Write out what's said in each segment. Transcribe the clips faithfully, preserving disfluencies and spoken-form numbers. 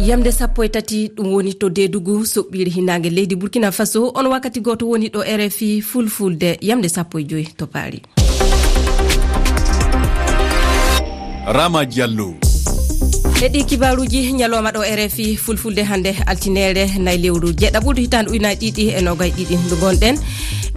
Yamde sappo e tati, ɗum woni to Deedugu, soɓɓiire hinaange leydi Burkina Faso. On wakkati gooto woni ɗo R F I Fulfulde, yamde sappo e joy to Paris. Rama Diallo. E ɗi kibaaruuji ñalawma ɗo R F I Fulfulde hannde altineere nay lewru jeeɗaɓuru hitaande ujunaaji ɗiɗi e noogay ɗiɗi ndu ngonɗen.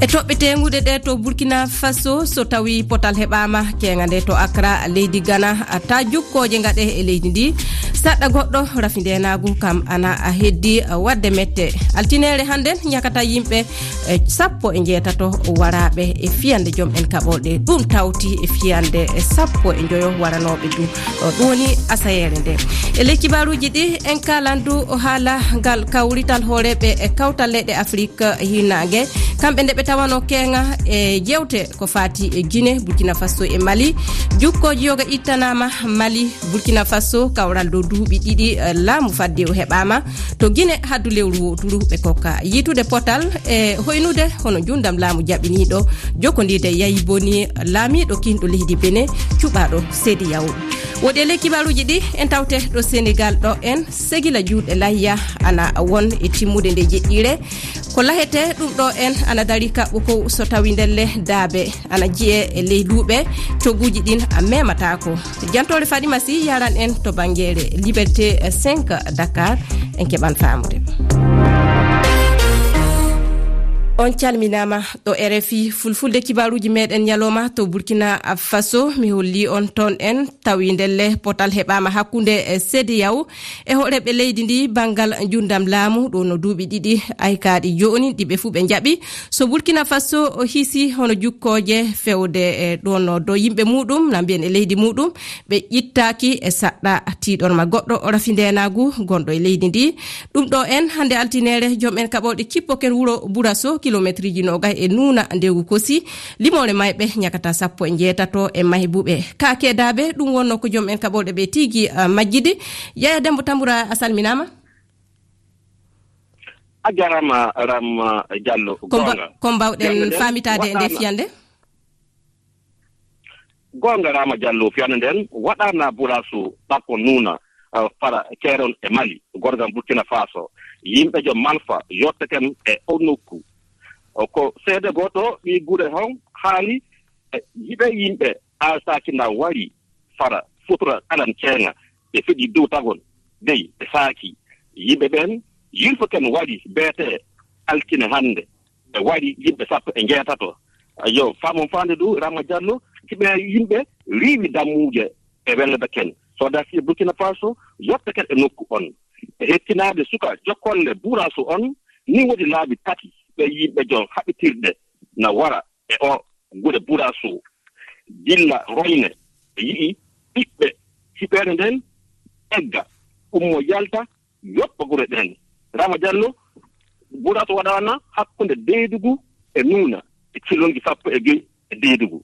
E toɓɓe teeŋuɗe ɗe to Burkina Faso, so tawi potal heɓaama keeŋa nde to Accra, leydi Ghana, ta jukkooje ngaɗe e leydi ndi. Saɗɗa goɗɗo rafi ndeenaagu kam ana a heddi waɗde mette. Altineere hannden ñakata yimɓe, e, sappo e njeetato waraaɓe e fiyande joom en kaɓorɗe. Ɗum tawti e fiyande e sappo e njoyo waranooɓe du. O, ɗum woni asayeere nde. E ley kibaaruuji ɗi, en kaalan du o haala ngal kawrital hooreeɓe e kawtal leyɗe Afrik hinaange. Kamɓe nde ɓe tawano keeŋa e jeewte ko faati e Gine, Burkina Faso e Mali. Jukkooji yoga ittanaama Mali, Burkina Faso, kawral dow duuɓi ɗiɗi, eh, laamu fadde o heɓaama. To Gine haddu lewru wooturu ɓe kokka yiitude potal e hoynude hono njuundam laamu jaɓiniiɗo jokkondiide yayi boni laamiiɗo kiinɗo leydi Bene cuɓaaɗo C D A O. Woɗi e ley kibaaruuji ɗi en tawte ɗo Senegal ɗo en segila juuɗe layya ana won e timmude nde jeɗɗiire. Ko lahetee ɗum ɗo en ana dari kaɓɓo ko so tawi ndelle daabe ana jiye e ley luuɓe, cogguuji ɗin a memataako. Jantoore Fadima Sy yaran en to banngeere Liberté cinq Dakar, en keɓan faamude. On calminaama ɗo R F I Fulfulde, kibaaruuji meɗen ñalawma to Burkina Faso. Mi holli on toon en tawi ndelle potal heɓaama hakkunde, eh, C D A O e horeeɓe leydi ndi banngal njuundam laamu, ɗo no duuɓi ɗiɗi aykaaɗi jooni ɗi ɓe fuu ɓe njaɓi. So Burkina Faso o hisi hono jukkooje fewde, eh, ɗo no do yimɓe muuɗum, na mbiyen e leydi muuɗum, ɓe ƴittaaki e saɗɗa tiiɗorma goɗɗo o rafi ndeenaagu gonɗo e leydi ndi. Ɗum ɗo en hannde altineere, joom en kaɓorɗe cippo ken wuro Buraso, kilometriji noogay e nuuna ndewgu kosi. Limoore mayɓe ñakata sappo e njeetato e maybuɓe. Ka keedaaɓe, ɗum wonno ko joom en kaɓorɗe ɓe tigi, ah, majjidi. Yaya Dembo Tambura, a salminaama. A jarama, Ram, ah, Diallo. Ko mba-, goonga. Ko mbawɗen Fiyande nden faamitaade e nde waɗaama fiyande? Goonga, Rama Diallo, fiyande nden waɗaana Buraso, ɓakko nuuna, ah, fara Keerol e Mali, gorgam Burkina Faso. Yimɓe joom Malfa yotteken e o nokku. O ko seede gooto ɓii gure hon haali, e yiɓe yimɓe alsaaki na wari fara sutura alam ceeŋa, ɓe fiɗi dow tagon dey ɓe saaki. Yimɓe ɓen yilfoken wari beete altine hannde, ɓe wari yimɓe sappo e njeetato. Yo faamon faande du, Rama Diallo, si ɓe yimɓe riiwi dammuuje e wellebe ken. Soodaaji Burkina Faso yotteken e nokku on. E hettinaade suka jokkolle Buraso on, ni woodi laabi tati ɓe yimɓe joom haɓitirɗe na wara e o gure Buraso. Gilla Royne, ɓe yi'i ɓiɓɓe hiɓeere nden egga, ummo yalta, yoppa gure ɗen. Rama Diallo, Buraso waɗaana hakkunde Deedugu e Nuuna e kilonji sappo e joy e Deedugu.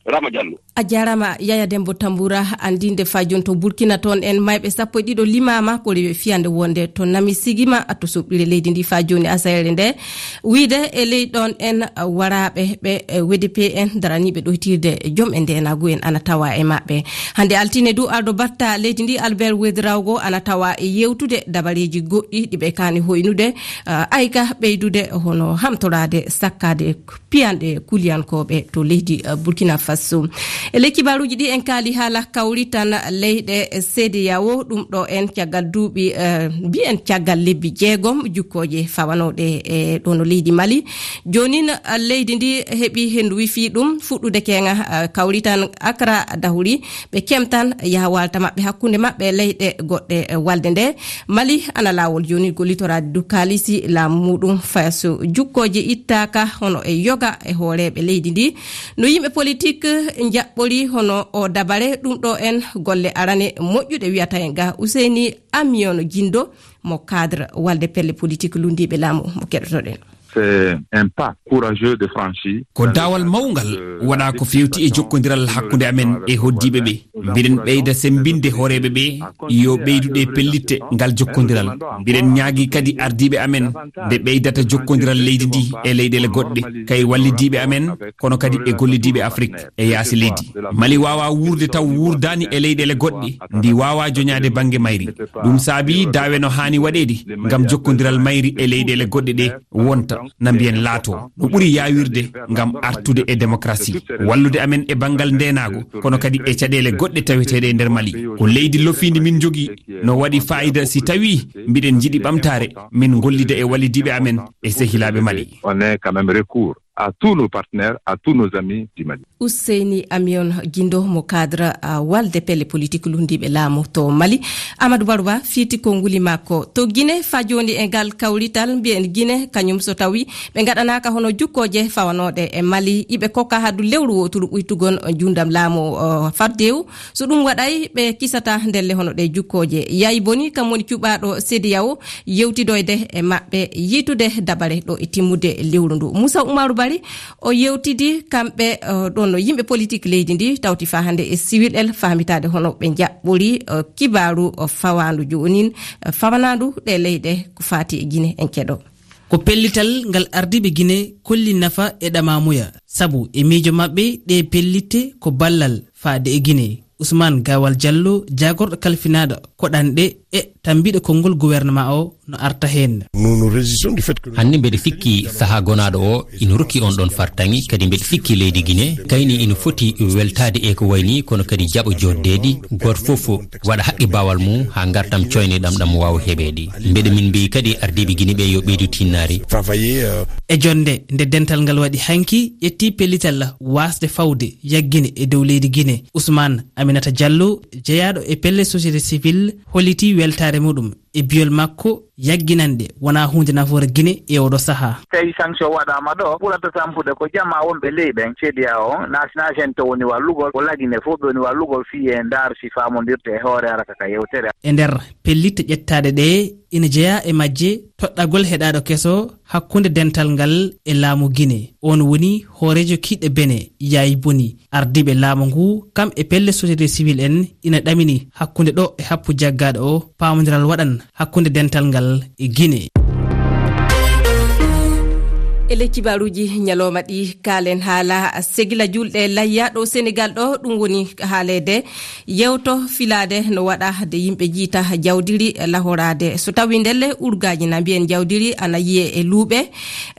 Rama Diallo. A jarama, Yaya Dembo Tambura, andinde fa jon to Burkina toon en mayɓe sappo e ɗiɗo limaama ko rewi fiyande wonde to nami sigima to soɓɓire leydi ndi fa joni asayre nde. Wiide e ley ɗon en, uh, waraaɓe ɓe, eh, W D P en daraniiɓe ɗoytirde joom e ndeenaagu en ana tawa e maɓɓe. Hannde altine du, arɗo batta leydi ndi Albert Ouédraogo ana tawa e yewtude dabareeji goɗɗi ɗi ɓe kaani hoynude, uh, ayka ɓeydude hono hamtoraade sakkaade piyanɗe kuliyankooɓe to leydi, uh, Burkina Faso. E ley kibaaruuji ɗi en kaali haala kawrital leyɗe C D A O, ɗum ɗo en caggal duuɓi, eh, mbiyen caggal lebbi jeegom jukkooje fawanooɗe e ɗo no leydi Mali. Joonin, eh, leydi ndi heɓi henndu wifi ɗum fuɗɗude keeŋa, eh, kawrital Accra dahuri ɓe kemtan yaha waalta maɓɓe hakkunde maɓɓe leyɗe goɗɗe, eh, walde nde. Mali ana laawol jooni gollitoraade du kaalisi laamu muuɗum faso jukkooje ittaaka hono e yoga e hooreeɓe leydi ndi. No yimɓe politik njaɓɓori hono o dabare, ɗum ɗo en golle arane moƴƴuɗe wiyata en ga Useyni Amiyono Jindo mo cadre walde pelle politik lundiiɓe laamu mo keɗotoɗen. C'est un pas courageux de franchir. Ko daawal mawngal waɗaa ko feewti e jokkondiral hakkunde amen e hoɗdiiɓe ɓe. Mbiɗen ɓeyda semmbinde hooreeɓe ɓe yo ɓeydu ɗe pellitte ngal jokkondiral. Mbiɗen ñaagi kadi ardiiɓe amen nde ɓeydata jokkondiral leydi ndi e leyɗeele goɗɗe, kay wallidiiɓe amen, kono kadi e gollidiiɓe Afrik e yaasi leydi. Mali waawaa wuurde taw wuurdaani e leyɗeele goɗɗe, ndi waawaa joñaade bannge mayri. Ɗum saabii daawe no haani waɗeede ngam jokkondiral mayri e leyɗeele goɗɗe ɗe wonta, na mbiyen laato. No ɓuri yaawirde ngam artude e démocratie, wallude amen e banngal ndeenaagu, kono kadi e caɗeele goɗɗe taweteeɗe e nder Mali. Ko leydi lofiindi min njogii, no waɗi faayida si tawii mbiɗen njiɗi ɓamtaare, min ngollida e wallidiiɓe amen e sehilaaɓe Mali. On est quand même recours à tous nos partenaires, à tous nos amis du Mali. Ousseyni Amion Guindo mo cadre, ah, walde pelle politique luhndiiɓe laamu to Mali. Amadou Barouba fiiti konnguli makko. To Guinée, faa jooni e ngal kawrital, mbiyen Guinée, kañum so tawi ɓe ngaɗanaaka hono jukkooje fawanooɗe e Mali, iɓe kokka hadu lewru wooturu ɓuytugol njuundam laamu, oh, faddewu. So ɗum waɗay, ɓe kisata ndelle hono ɗe jukkooje. Yayi boni, kam woni cuɓaaɗo CEDEAO, yewtidoyde e maɓɓe, yiytude dabare ɗo e timmude lewru ndu. Moussa Oumarou Bari, o yewtidi kamɓe, eh, ɗon no yimɓe politique leydi ndi, tawti faa hannde e siwil el, faamitaade hono ɓe njaɓɓori, eh, kibaaru, eh, fawaandu joonin, eh, fawanaandu ɗe leyɗe ko faati e Guinée en keɗo. Ko pellital ngal ardiiɓe Guinée kolli nafa e ɗamamuya, sabu e miijo maɓɓe ɗe pellitte ko ballal faade e Guinée. Ousmane Gawal Diallo, jaagorɗo kalfinaaɗo koɗanɗe e tambiiɗo konngol gouvernement o no arta heen. Nous nous réjouissons du fait que Hannde mbeɗa sikki sahaa gonaaɗo o ina rokki on ɗon fartaŋŋe, kadi mbeɗa sikki leydi Guinée kayni ina foti weltaade e ko wayni, kono kadi jaɓa joddeede, gooto fof waɗa haqqe baawal mum haa ngartam coyneɗam ɗam waawa heɓeede. Mbeɗa min mbiyi kadi ardiiɓe Guinée ɓe yo ɓeydu tinnaare. Travailler, euh, E jonnde nde dental ngal waɗi hanki, ƴetti pellital waasde fawde yaggine e dow leydi Guinée. Ousmane Aminata Diallo, jeyaaɗo e pelle société civile, holliti weltaare muɗum e biyol makko yagginanɗe wonaa huunde nafoore Guinée e oɗo sahaa. Tawi sanction waɗaama ɗo, ɓurata tampude ko jamaa wonɓe ley ɓen, CEDEAO, naati naati heen to woni wallugol, ko lagine fof ɓe woni wallugol fii e ndaar si faamondirte e hoore ara ka yewtere. E nder pellitte ƴettaaɗe ɗe, ina jeyaa e majje toɗɗagol heɗaaɗo keso hakkunde dental ngal e laamu Guinée. On woni hooreejo kiiɗɗe Benin, Yayi Boni. Ardiiɓe laamu ngu, kam e pelle société civile en, ina ɗamini hakkunde ɗo e happu jaggaaɗo o, paamondiral waɗan hakkunde dental ngal e Guinée. E ley kibaaruuji ñalooma ɗi, kaalen haala segila julɗe layya ɗo Senegal ɗo, ɗum woni haaleede yewto filaade no waɗa de yimɓe jiita jawdiri lahoraade. So tawi ndelle urgaaji na mbiyen jawdiri ana yiye e luuɓe,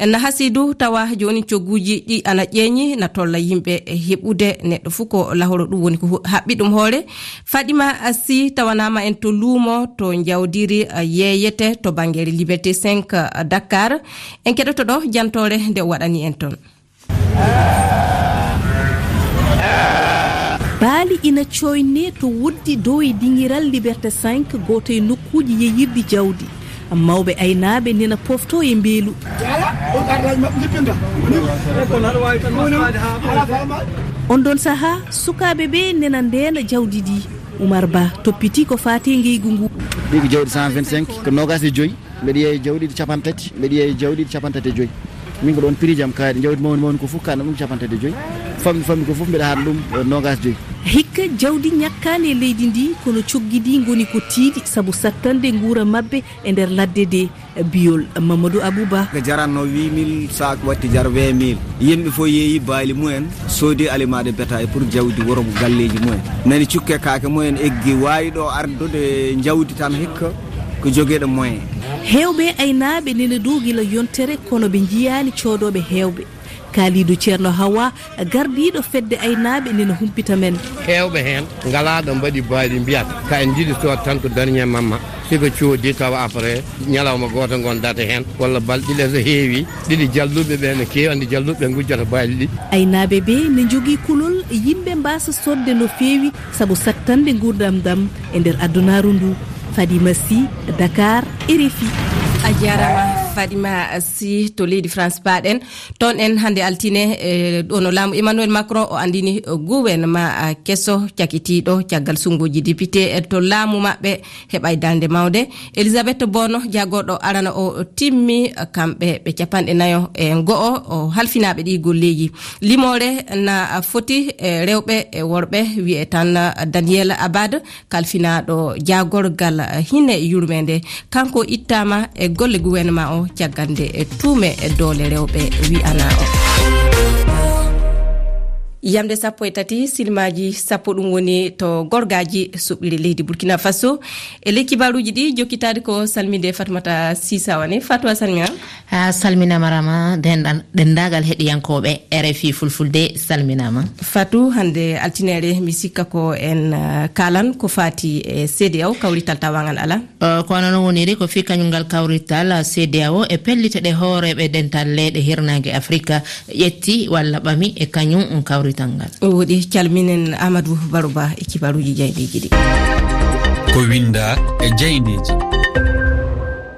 na hasidu tawa jooni cogguuji ɗi ana ƴeeñi na tolla yimɓe heɓude neɗɗo fof ko lahoro, ɗum woni ko hu-, haɓɓi ɗum hoore. Fadima Sy tawanaama en to luumo to jawdiri, eh, yeeyete to banngere Liberté cinq, eh, Dakar. En keɗoto ɗo jantoore nde o waɗani en toon. Baali ina cooyne to woddi dow e dingiral Liberté cinq, gooto e nokkuuji yeeyirɗi jawdi. Mawɓe aynaaɓe nena pofto e mbeelu. On ɗon sahaa, sukaaɓe ɓe nena ndeena jawdi ndi. Oumar Ba toppiti ko faati ngeygu ngu. Ɗi ko jawdi cent vingt-cinq, ko noogaas e joy. Mbeɗa yeeya jawɗi ɗi cappanɗe tati, mbeɗa yeeya jawɗi ɗi cappanɗe tati e joy. Min ko ɗoon prix jam kaaɗi, jawdi mawni mawni ko fof kaaɗi ɗum cappanɗe tati e joy. Famɗi famɗi ko fof mbeɗa haɗa ɗum, eh, noogaas joy. Hikka jawdi ñakkaani e leydi ndi, kono coggi ndi ngoni ko tiiɗi sabu sattande nguura maɓɓe e nder ladde de. Biyol Mamadou Abouba. Ko jaranno huit mille, sac watti jar vingt mille. Yimɓe fof yeeyi baali mumen, soodi aliment de bétail pour jawdi wuro galleeji mumen. Nani cukke kaake mumen eggi, waawi ɗo ardude jawdi tan hikka ko jogeeɗo moyen. Heewɓe aynaaɓe nene dow gila yontere, kono ɓe njiyaani coodooɓe heewɓe. Kaalidu Ceerno Hawa, gardiiɗo fedde aynaaɓe, nena humpita men. Heewɓe heen ngalaa ɗo mbaɗi baali, mbiyat ka en njiɗi sood tan ko dernier mamma. Si ko coodi tawa après ñalawma gooto ngon date heen, walla balɗe ɗiɗi so heewi, ɗiɗi jalluɓe ɓe no keewi, anndi jalluɓe ngujjata baali ɗi. Aynaaɓe ɓe ne njogii kulol yimɓe mbaasa soodde no feewi sabu sattande nguurndam ɗam e nder adunaaru ndu. Fadima Sy, Dakar, R F I. A jaaraama. Fatima Sy to leydi France paaɗen. Toon en hannde altine, e, ɗo no laamu Emmanuel Macron o anndini, e, gouvernement, a, keso cakitiiɗo caggal sunnguuji député, e, to laamu maɓɓe heɓay darnde mawnde. Elisabeth Bono, jagorɗo arana o, timmi, e, kamɓe ɓe capanɗe nayo e go'o, o halfinaaɓe ɗi golleeji. Limoore na foti, e, rewɓe e worɓe, wi'e tan, e, Daniel Abad, kalfinaaɗo jaagorgal hine yurmeende. Kanko ittaama e golle gouvernement o caggal nde e tuume e doole rewɓe wi'anaa o. Yamde sappo e tati, silmaaji sappo ɗum woni to gorgaaji suɓɓiri leydi Burkina Faso. E ley kibaaruuji ɗi jokkitaade ko salminde Fatmata Sisa wani. Fatwa salmina. A salminaama Rama, denɗan-, denndaangal heɗiyankooɓe R F I Fulfulde salminaama. Fatou, hannde altineere, mi sikka ko en, eh, kaalan ko faati e C D A O, kawrital tawangal alaa. Eh, ko noon woniri, ko fii kañum ngal kawrital C D A O e pellite ɗe hooreeɓe dental leyɗe hirnaange Afrika ƴetti walla ɓami e kañum kawrital ngal. Woɗi, calminen Amadou Barouba e kibaaruuji jayndeeji ɗi. Ko winnda e jayndeeji.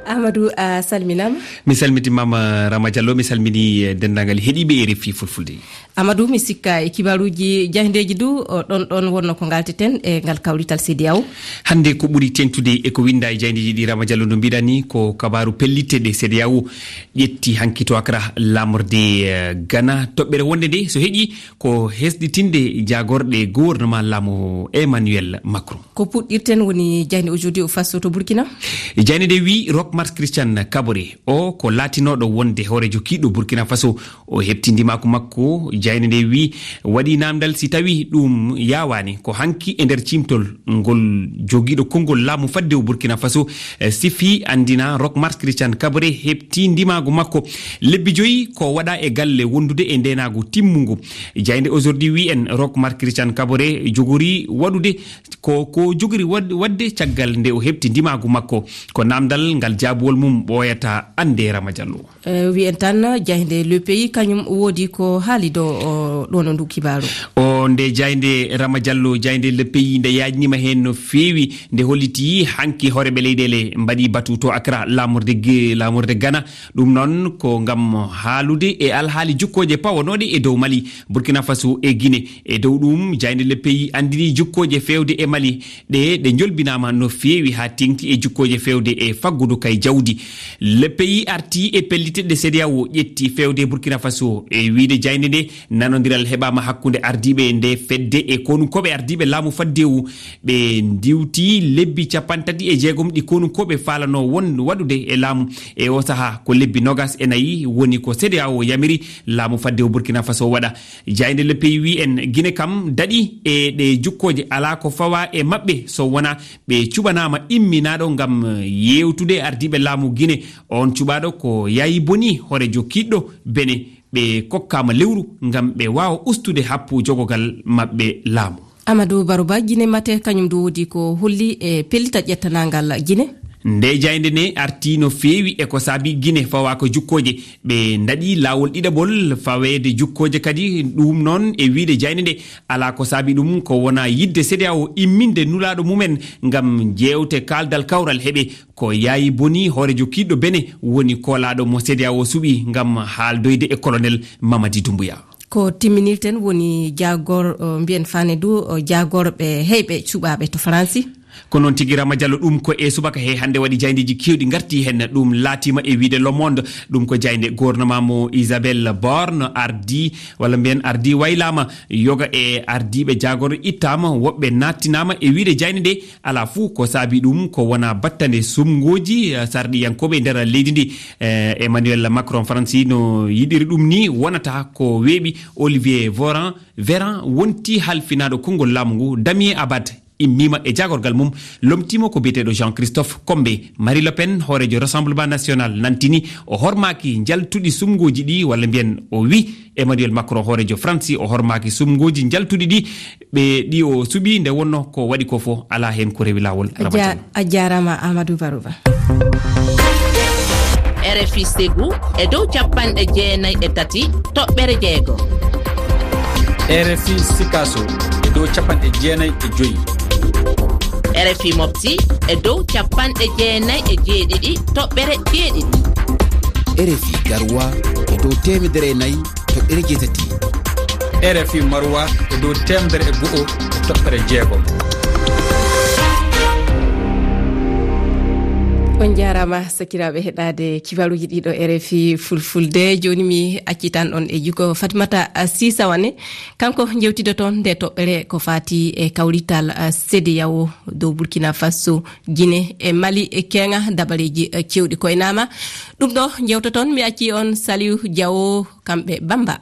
Amadou, a salminaama. Mi salmitimaama, Rama Diallo, mi salmini, eh, denndaangal heɗiiɓe R F I Fulfulde. Amadou, mi sikka e kibaaruuji jayndeeji du, o, ɗon, ɗon wonno ko ngalteten e ngal kawrital C D A O. Hannde ko ɓuri teeŋtude e ko winnda e jayndeeji ɗi, Rama Diallo, no mbiɗa ni, ko kabaaru pellitde ɗe C D A O ƴetti hanki to Accra, laamorde, eh, Ghana. Toɓɓere wonnde nde, so heƴi, ko hesɗitinde jaagorɗe gouvernement laamu Emmanuel Macron. Ko puɗɗirten woni jaaynde Aujourd'hui o Faso to Burkina. Jaaynde nde wi Rock Marc Christian Kaboré, o ko laatinooɗo wonde hooreejo kiiɗɗo Burkina Faso, o heɓti ndimaagu makko. Jaaynde nde wi waɗi naamndal si tawi ɗum yaawaani, ko hanki e nder ciimtol ngol jogiiɗo konngol laamu faddewu Burkina Faso, eh, sifi anndina Rock Marc Christian Kaboré heɓti ndimaagu makko. Lebbi joyi ko waɗa e galle wondude e ndeenaagu timmungu. Jaaynde Aujourd'hui wi en Rock Marc Christian Kaboré jogori waɗude ko, ko jogori wad-, waɗde caggal nde o heɓti ndimaagu makko. Ko naamndal ngal jaabuwol mum ɓooyata annde, Rama Diallo. Eh, wiyen tan, jaaynde Le Pays kañum woodi ko haali do, o, ɗo no ndu kibaaru. O, nde jaaynde, Rama Diallo, jaaynde Le Pays nde yaajnima heen no feewi, nde holliti hanki hooreeɓe leyɗeele mbaɗi batu to Accra, laamorde G-, laamorde Ghana. Ɗum noon ko ngam haalude e alhaali jukkooje pawanooɗe e dow Mali, Burkina Faso e Guinée. E dow ɗum, jaaynde Le Pays anndini jukkooje feewde e Mali ɗe, ɗe njolbinaama no feewi haa teeŋti e jukkooje feewde e faggudu kay jawdi. Le Pays arti e pellite ɗe C D A O ƴetti feewde Burkina Faso. E wiyde jaaynde nde, nanondiral heɓaama hakkunde ardiiɓe nde fedde e konunkooɓe ardiiɓe laamu faddewu. Ɓe ndiwti lebbi cappanɗe tati e jeegom ɗi konunkooɓe faalano won waɗude e laamu. E o sahaa, ko lebbi nogas e nayi woni ko C D A O yamiri laamu faddewu Burkina Faso waɗa. Jaaynde Le Pays wi en Guinée kam daɗi e ɗe jukkooje, alaa ko fawa e maɓɓe so wona ɓe cuɓanaama imminaaɗo ngam yeewtude ardiiɓe laamu Guinée. On cuɓaaɗo ko Yayi Boni, hooreejo kiiɗɗo Benin. Ɓe kokkaama lewru ngam ɓe waawa ustude happu jogogal maɓɓe laamu. Amadou Barouba, Guinée mate kañum du woodi ko holli e pellita ƴettanaangal Guinée. Nde jaaynde ne arti no feewi e ko saabi Guinée fawa ko jukkooje. Ɓe ndaɗi laawol ɗiɗaɓol faweede jukkooje kadi. Ɗum noon, e wiyde jaaynde nde, alaa ko saabi ɗum ko wona yidde C D A O imminde nulaaɗo mumen ngam jeewte kaaldal kawral heɓe. Ko Yayi Boni, hooreejo kiiɗɗo Benin, woni koolaaɗo mo C D A O suɓi ngam haaldoyde e colonel Mamadi Doumbouya. Ko timminirten woni jaagor, o, mbiyen fane du, o, jaagorɓe heyɓe cuɓaaɓe to Faransi. Ko noon tigi, Rama Diallo, ɗum ko e subaka he hannde waɗi jaayndeeji keewɗi ngarti heen. Ɗum laatiima e wiyde Le Monde, ɗum ko jaaynde gouvernement mo Isabelle Borne ardi, walla mbiyen ardi waylaama, yoga e ardiiɓe jaagorɗe ittaama, woɓɓe naattinaama e wiyde jaaynde nde. Alaa fuu ko saabi ɗum ko wona battane sumngooji, eh, sarɗiyankooɓe e nder leydi ndi. Eh, Emmanuel Macron Faransi no yiɗiri ɗum ni wonata ko weeɓi. Olivier Voran, Véran wonti halfinaaɗo konngol laamu ngu. Damien Abad immiima e jaagorgal mum, lomtiima ko biyeteeɗo Jean-Christophe Combé. Marie Le Pen, hooreejo Rassemblement National, nantini o hormaaki njaltuɗi sumngooji ɗi, walla mbiyen o wi Emmanuel Macron, hooreejo Faransi, o hormaaki sumngooji njaltuɗi ɗi. Ɓe ɗi o suɓi nde wonno ko waɗi ko fof alaa heen ko rewi laawol. A ja-, a jaaraama Amadou Barouba. R F I Ségou e dow capanɗe jeenayi e tati toɓɓere jeego. R F I Sikaso e dow capanɗe jeenayi e joyi. R F I Mopti e dow capanɗe jeenayi e jeeɗiɗi toɓɓere jeeɗiɗi. R F I Garoua e dow teemedere e nayi toɓɓere jeetati. R F I Maroua e dow teemedere e go'o e toɓɓere jeegom. On njaaraama sakiraaɓe heɗaade kibaruuji ɗiɗo R F I Fulfulde. Jooni mi accitan on e juko Fatimata Sisa Wane. Kanko njewtidoton nde toɓɓere ko faati e kawrital, eh, C D E A O dow Burkina Faso, Gine e Mali e keŋa dabareeji, eh, cewɗi koynaama. Ɗum ɗo njewtoton mi acci on Saliu Diawo kamɓe Bamba.